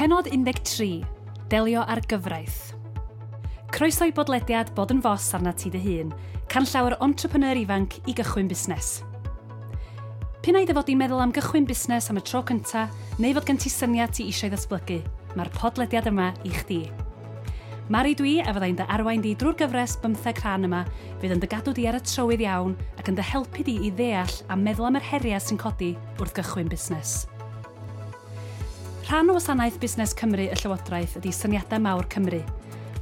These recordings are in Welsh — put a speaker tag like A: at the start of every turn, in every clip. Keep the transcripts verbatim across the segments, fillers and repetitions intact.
A: Pennod un deg tri. Delio â'r gyfraith. Croeso i bodlediad Bod yn Fos arna ti dy hun, canllaw i'r entrepreneur ifanc i gychwyn busnes. P'un ai dy fod di'n meddwl am gychwyn busnes am y tro cynta, neu fod gen ti syniad ti eisiau ddatblygu, mae'r podlediad yma i chdi. Mari dwi a fyddai'n dy arwain di drwy'r gyfres bymtheg rhan yma, fydd yn dy gadw di ar y trywydd iawn ac yn dy helpu di i ddeall a meddwl am yr heriau sy'n codi wrth gychwyn busnes. Rhan o wasanaeth Busnes Cymru y Llywodraeth ydy Syniadau Mawr Cymru,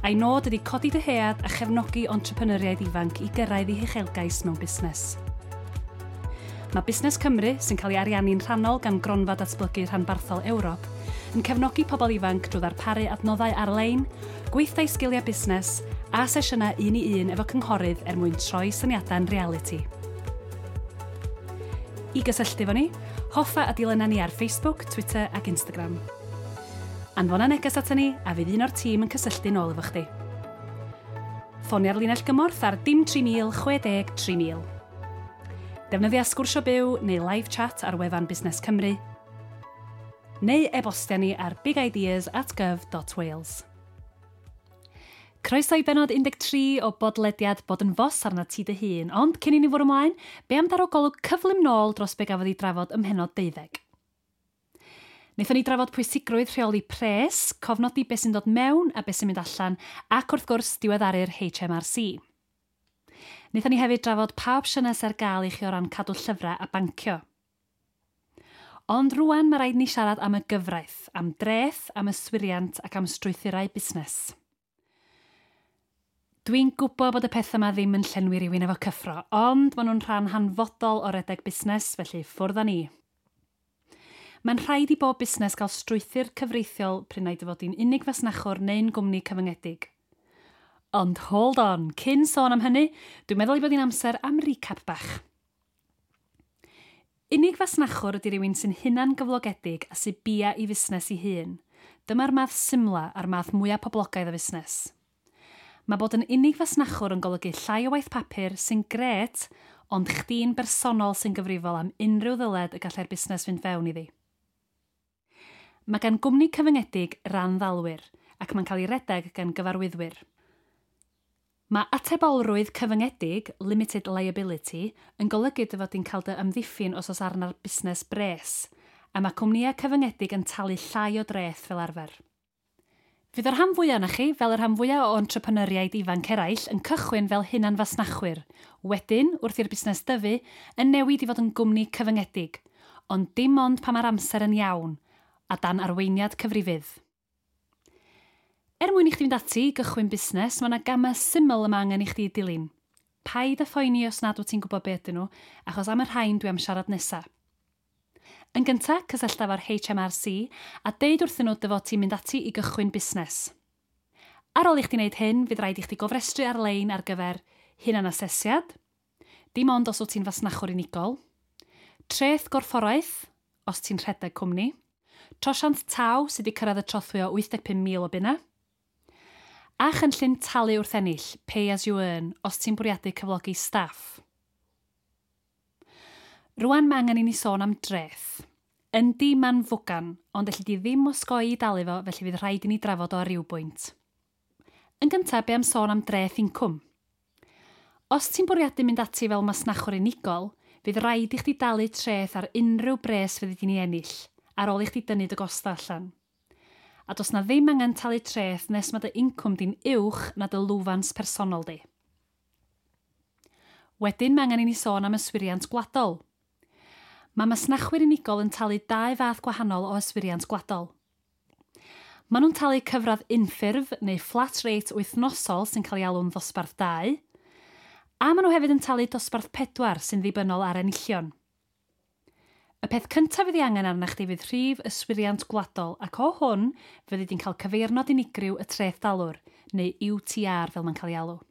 A: a'i nod ydy codi dyhead a chefnogi entrepreneuriaid ifanc i gyrraedd eu huchelgais mewn busnes. Mae Busnes Cymru, sy'n cael ei ariannu'n rhannol gan Gronfa Datblygu Rhanbarthol Ewrop, yn cefnogi pobl ifanc drwy ddarparu adnoddau ar-lein, gweithdai sgiliau busnes a sesiynau un i un efo cynghorydd er mwyn troi syniadau'n realiti. I gysylltu efo ni, hoffa a dilyna ni ar Facebook, Twitter ac Instagram. Anfona neges ato ni a fydd un o'r tîm yn cysylltu nôl efo chdi. Ffonia'r linell gymorth ar dim tri mil chwe deg tri mil. Defnyddia sgwrsio byw neu live chat ar wefan Busnes Cymru, neu e-bostia ni ar bigideas at gov dot wales. Croeso i benod un deg tri o bodlediad Bod yn Fos arna ti dy hun, ond cyn i ni fwrw ymlaen, be am daro golwg cyflym nôl dros be gafodd ei drafod ym mhennod deuddeg? Wnaethon ni drafod pwysigrwydd rheoli pres, cofnodi beth sy'n dod mewn a beth sy'n mynd allan, ac wrth gwrs diweddaru'r H M R C. Wnaethon ni hefyd drafod pa opsiynau sy'n ar gael i chi o ran cadw llyfrau a bancio. Ond rwan mae rhaid ni siarad am y gyfraith, am dreth, am yswiriant ac am strwythurau busnes. Dwi'n gwybod bod y pethau yma ddim yn llenwi rhywun efo cyffro, ond maen nhw'n rhan hanfodol o redeg busnes, felly ffwrdd â ni. Mae'n rhaid i bob busnes gael strwythur cyfreithiol p'run ai dy fod di'n unig fasnachwr neu'n gwmni cyfyngedig. Ond hold on, cyn sôn am hynny, dwi'n meddwl ei bod hi'n amser am recap bach. Unig fasnachwr ydy rhywun sy'n hunan gyflogedig a sy'n bia i fusnes ei hun. Dyma'r math symla a'r math mwyaf poblogaidd o fusnes. Mae bod yn unig fasnachwr yn golygu llai o waith papur sy'n grêt, ond chdi'n bersonol sy'n gyfrifol am unrhyw ddyled y gallai'r busnes fynd fewn iddi. Mae gan gwmni cyfyngedig ran ddalwyr ac mae'n cael ei redeg gan gyfarwyddwyr. Mae atebolrwydd cyfyngedig, limited liability, yn golygu dy fod di'n cael dy amddiffyn os oes arna'r busnes bres, a mae cwmnïau cyfyngedig yn talu llai o dreth fel arfer. Fydd y rhan fwyaf na chi, fel y rhan fwyaf o entrepreneuriaid ifanc eraill, yn cychwyn fel hunan fasnachwyr. Wedyn, wrth i'r busnes dyfu, yn newid i fod yn gwmni cyfyngedig, ond dim ond pan mae'r amser yn iawn, a dan arweiniad cyfrifydd. Er mwyn i chdi fynd ati i gychwyn busnes, mae yna gamau syml yma angen i chdi dilyn. Paid â phoeni os nad wyt ti'n gwybod beth ydyn nhw, achos am y rhain dwi am siarad nesaf. Yn gyntaf, cysyllta efo'r H M R C a deud wrthyn nhw dy fod ti'n mynd ati i gychwyn busnes. Ar ôl i chdi wneud hyn, fydd rhaid i chdi gofrestru ar-lein ar gyfer hunan-asesiad, dim ond os wyt ti'n fasnachwr unigol, treth gorfforaeth, os ti'n rhedeg cwmni, trosiant taw sydd wedi cyrraedd y trothwy o wyth deg pump mil o bunna, a chynllun talu wrth ennill, pay as you earn, os ti'n bwriadu cyflogi staff. Rwan mae angen i ni sôn am dreth. Yndi, ma'n fwgan, ond elli di ddim osgoi i dalu fo, felly fydd rhaid i ni drafod o ar ryw bwynt. Yn gyntaf, be am sôn am dreth incwm? Os ti'n bwriadu mynd ati fel masnachwr unigol, fydd rhaid i chdi dalu treth ar unrhyw bres fyddi di'n ei ennill, ar ôl i chdi dynnu dy gosta allan. A does na ddim angen talu treth nes mae dy incwm di'n uwch na dy lwfans personol di. Wedyn mae angen i ni sôn am yswiriant gwladol. Mae masnachwyr unigol yn talu dau fath gwahanol o yswiriant gwladol. Maen nhw'n talu cyfradd unffurf neu flat rate wythnosol sy'n cael ei alw'n ddosbarth dau, a maen nhw hefyd yn talu dosbarth pedwar sy'n ddibynnol ar enillion. Y peth cyntaf fydd ei angen arna chdi fydd rhif yswiriant gwladol, ac o hwn fyddi di'n cael cyfeirnod unigryw y treth dalwr, neu U T R fel mae'n cael ei alw.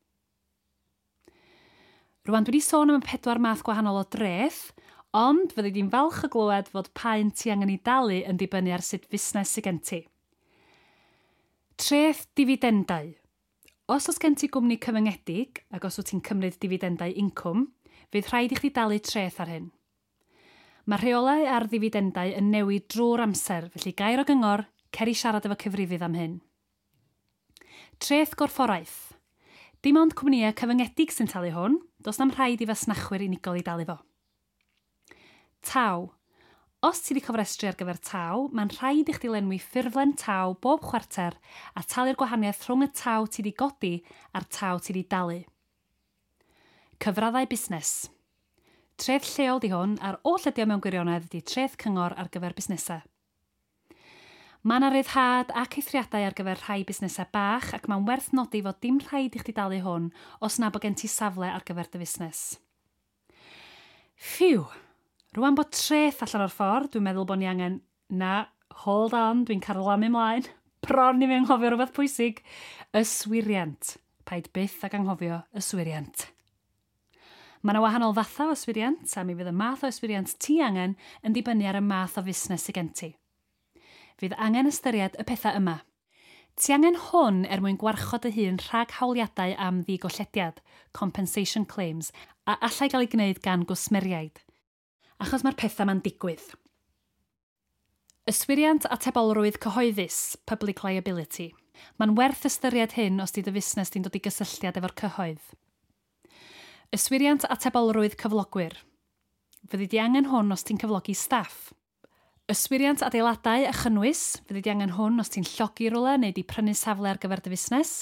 A: Rwan dwi wedi sôn am y pedwar math gwahanol o dreth, ond fyddi di'n falch o glywed fod pa un ti angen ei dalu yn dibynnu ar sut fusnes sydd gen ti. Treth difidendau. Os oes gen ti gwmni cyfyngedig, ac os wyt ti'n cymryd difidendau incwm, fydd rhaid i chdi dalu treth ar hyn. Mae rheolau ar ddifidendau yn newid drwy'r amser, felly gair o gyngor, Cer i siarad efo cyfrifydd am hyn. Treth gorfforaeth. Dim ond cwmnïau cyfyngedig sy'n talu hwn, does na'm rhaid i fasnachwyr unigol i dalu fo. Taw. Os ti wedi cofrestru ar gyfer taw, mae'n rhaid i chdi lenwi ffurflen taw bob chwarter a talu'r gwahaniaeth rhwng y taw ti wedi godi a'r taw ti wedi dalu. Cyfraddau busnes. Treth lleol di hwn, a'r oll ydi o mewn gwirionedd ydi treth cyngor ar gyfer busnesau. Mae yna ryddhad ac eithriadau ar gyfer rhai busnesau bach ac mae'n werth nodi fod dim rhaid i chdi dalu hwn os na bod gen ti safle ar gyfer dy fusnes. Ffiw! Rwan bod treth allan o'r ffordd, dwi'n meddwl bod ni angen... Na, hold on, dwi'n carlamu ymlaen. Bron i fi anghofio rhywbeth pwysig. Yswiriant. Paid byth ag anghofio yswiriant. Mae yna wahanol fathau o yswiriant, a mi fydd y math o yswiriant ti angen yn dibynnu ar y math o fusnes sydd gen ti. Fydd angen ystyried y pethau yma. Ti angen hwn er mwyn gwarchod dy hun rhag hawliadau am ddigollediad, compensation claims, a allai gael ei gwneud gan gwsmeriaid. Achos mae'r pethau ma'n digwydd. Yswiriant atebolrwydd cyhoeddus, public liability. Mae'n werth ystyried hyn os di dy fusnes di'n dod i gysylltiad efo'r cyhoedd. Yswiriant atebolrwydd cyflogwyr. Fyddi di angen hwn os ti'n cyflogi staff. Yswiriant adeiladau a chynnwys. Fyddi di angen hwn os ti'n llogi rhywle neu di prynu safle ar gyfer dy fusnes.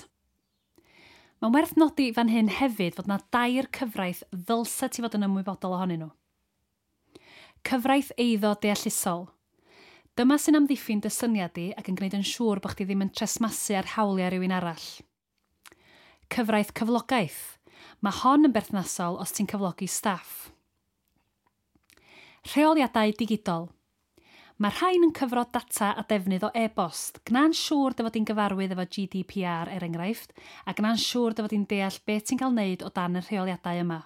A: Mae'n werth nodi fan hyn hefyd fod na dair cyfraith ddylsa ti fod yn ymwybodol ohonyn nhw. Cyfraith eiddo deallusol. Dyma sy'n amddiffyn dy syniad di ac yn gwneud yn siŵr bod chdi ddim yn tresmasu ar hawliau rhywun arall. Cyfraith cyflogaeth. Mae hon yn berthnasol os ti'n cyflogi staff. Rheoliadau digidol. Mae rhain yn cyfro data a defnydd o e-bost. Gna'n siŵr dy fod di'n gyfarwydd efo G D P R er enghraifft, a gna'n siŵr dy fod di'n deall beth ti'n cael wneud o dan y rheoliadau yma.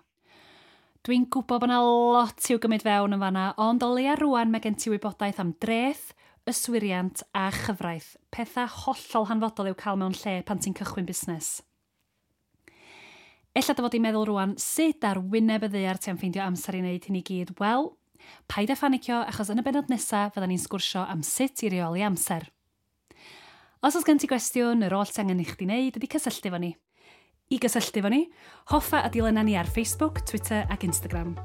A: Dwi'n gwybod bod yna lot i'w gymryd fewn yn fanna, ond o leia rwan mae gen ti wybodaeth am dreth, yswiriant a chyfraith, pethau hollol hanfodol i'w cael mewn lle pan ti'n cychwyn busnes. Ella dy fod i'n meddwl rwan sut ar wyneb y ddaear ti am ffeindio amser i wneud hyn i gyd. Wel, paid â phanicio achos yn y bennod nesaf fyddan ni'n sgwrsio am sut i reoli amser. Os oes gen ti gwestiwn, yr oll ti angen i chdi wneud ydy cysylltu efo ni. I gysylltu efo ni, hoffa a dilynna ni ar Facebook, Twitter ac Instagram.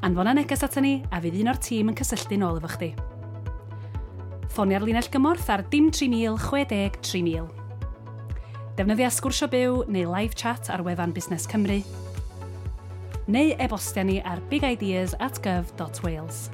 A: Anfona neges ata ni a fydd un o'r tîm yn cysylltu nôl efo chdi. Ffonia'r linell gymorth ar dim tri mil chwe deg tri mil. Defnyddia sgwrsio byw neu live chat ar wefan Busnes Cymru, neu e-bostia ni ar bigideas at gov dot wales.